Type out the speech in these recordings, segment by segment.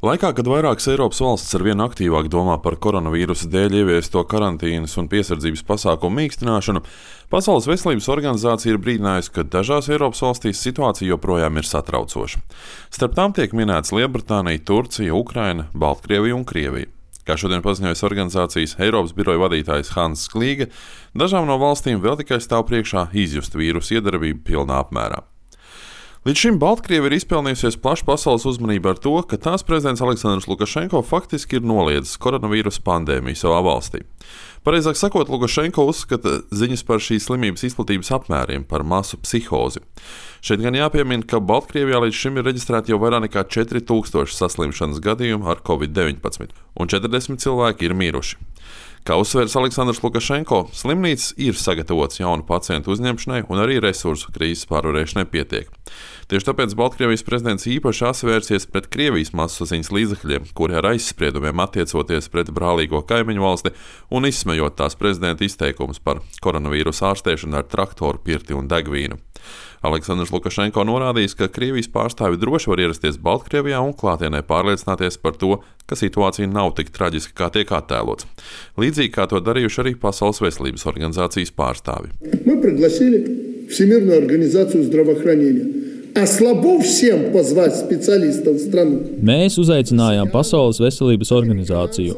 Laikā, kad vairākas Eiropas valstis arvien aktīvāk domā par koronavīrusa dēļ ieviesto karantīnas un piesardzības pasākumu mīkstināšanu, Pasaules veselības organizācija ir brīdinājusi, ka dažās Eiropas valstīs situācija joprojām ir satraucoša. Starp tām tiek minētas Lielbritānija, Turcija, Ukraina, Baltkrievija un Krievija. Kā šodien paziņojas organizācijas Eiropas biroja vadītājs Hanss Klīge, dažām no valstīm vēl tikai stāv priekšā izjust vīrusa iedarbību pilnā apmērā. Līdz šim Baltkrievija ir izpelnījusies plašu pasaules uzmanību ar to, ka tās prezidents Aleksandrs Lukašenko faktiski ir noliedzis koronavīrusa pandēmiju savā valstī. Pareizāk sakot, Lukašenko uzskata ziņas par šīs slimības izplatības apmēriem par masu psihozi. Šeit gan jāpiemina, ka Baltkrievijā līdz šim ir reģistrēti jau vairāk nekā 4000 saslimšanas gadījumu ar Covid-19, un 40 cilvēki ir miruši. Kā uzsvērs Aleksandrs Lukašenko, slimnīcas ir sagatavotas jaunu pacientu uzņemšanai un arī resursu krīzes pārvarēšanai pietiek. Tieši tāpēc Baltkrievijas prezidents īpaši asvērsies pret Krievijas masasaziņas līdzekļiem, kuri ar aizspriedumiem attiecoties pret brālīgo kaimiņu valsti un izsmejot tās prezidenta izteikumus par koronavīrusa ārstēšanu ar traktoru, pirti un degvīnu. Aleksandrs Lukašenko norādījis, ka Krievijas pārstāvi droši var ierasties Baltkrievijā un klātienē pārliecināties par to, ka situācija nav tik traģiska, kā tiek attēlots. Līdzīgi kā to darījuši arī Pasaules veselības organizācijas pārstāvi. Mēs uzaicinājām Pasaules veselības organizāciju.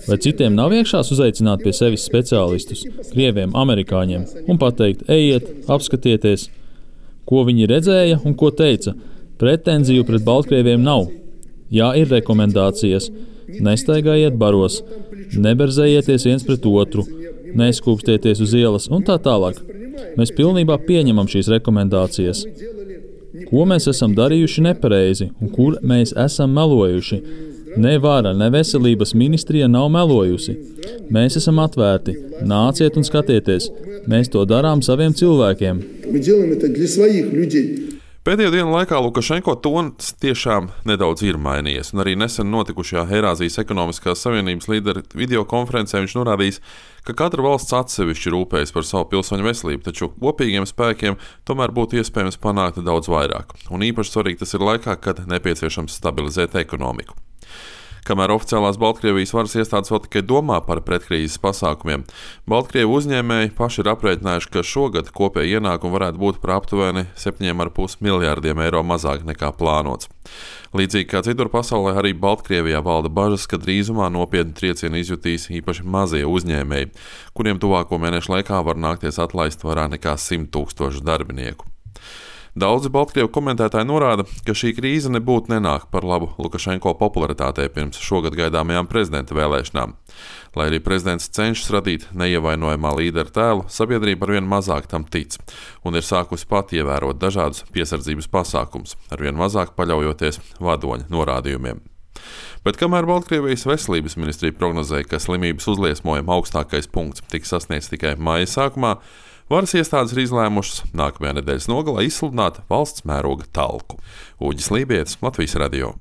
Vai citiem nav iekšās uzaicināt pie sevis speciālistus, krieviem, amerikāņiem, un pateikt, ejiet, apskatieties, ko viņi redzēja un ko teica. Pretenziju pret Baltkrieviem nav. Jā, ir rekomendācijas. Nestaigājiet baros, neberzējieties viens pret otru, neskūpstieties uz ielas un tā tālāk. Mēs pilnībā pieņemam šīs rekomendācijas. Ko mēs esam darījuši nepareizi un kur mēs esam melojuši? Ne vara, ne veselības ministrija nav melojusi. Mēs esam atvērti. Nāciet un skatieties. Mēs to darām saviem cilvēkiem. Pēdējo dienu laikā Lukašenko tons tiešām nedaudz ir mainījies, un arī nesen notikušajā Eirāzijas ekonomiskās savienības līderu videokonferencē viņš norādījis, ka katra valsts atsevišķi rūpējas par savu pilsoņu veselību, taču kopīgiem spēkiem tomēr būtu iespējams panākt daudz vairāk. Un īpaši svarīgi tas ir laikā, kad nepieciešams stabilizēt ekonomiku. Kamēr oficiālās Baltkrievijas varas iestādes vēl tikai domā par pretkrīzes pasākumiem, Baltkrievu uzņēmēji paši ir aprēķinājuši, ka šogad kopēji ienākumi varētu būt par aptuveni 7,5 miljārdiem eiro mazāk nekā plānots. Līdzīgi kā citur pasaulē, arī Baltkrievijā valda bažas, ka drīzumā nopietni triecienu izjutīs īpaši mazie uzņēmēji, kuriem tuvāko mēnešu laikā var nākties atlaist vairāk nekā 100 000 darbinieku. Daudzi Baltkrievu komentētāji norāda, ka šī krīze nebūtu nenāk par labu Lukašenko popularitātei pirms šogad gaidāmajām prezidenta vēlēšanām. Lai arī prezidents cenšas radīt neievainojamā līdera tēlu, sabiedrība arvien mazāk tam tic un ir sākusi pat ievērot dažādus piesardzības pasākumus, arvien mazāk paļaujoties vadoņa norādījumiem. Bet kamēr Baltkrievijas veselības ministrija prognozēja, ka slimības uzliesmojuma augstākais punkts tiks sasniegts tikai maija sākumā, varas iestādes ir izlēmušas nākamajā nedēļas nogalē izsludināt valsts mēroga talku. Uģis Lībietis, Latvijas radio.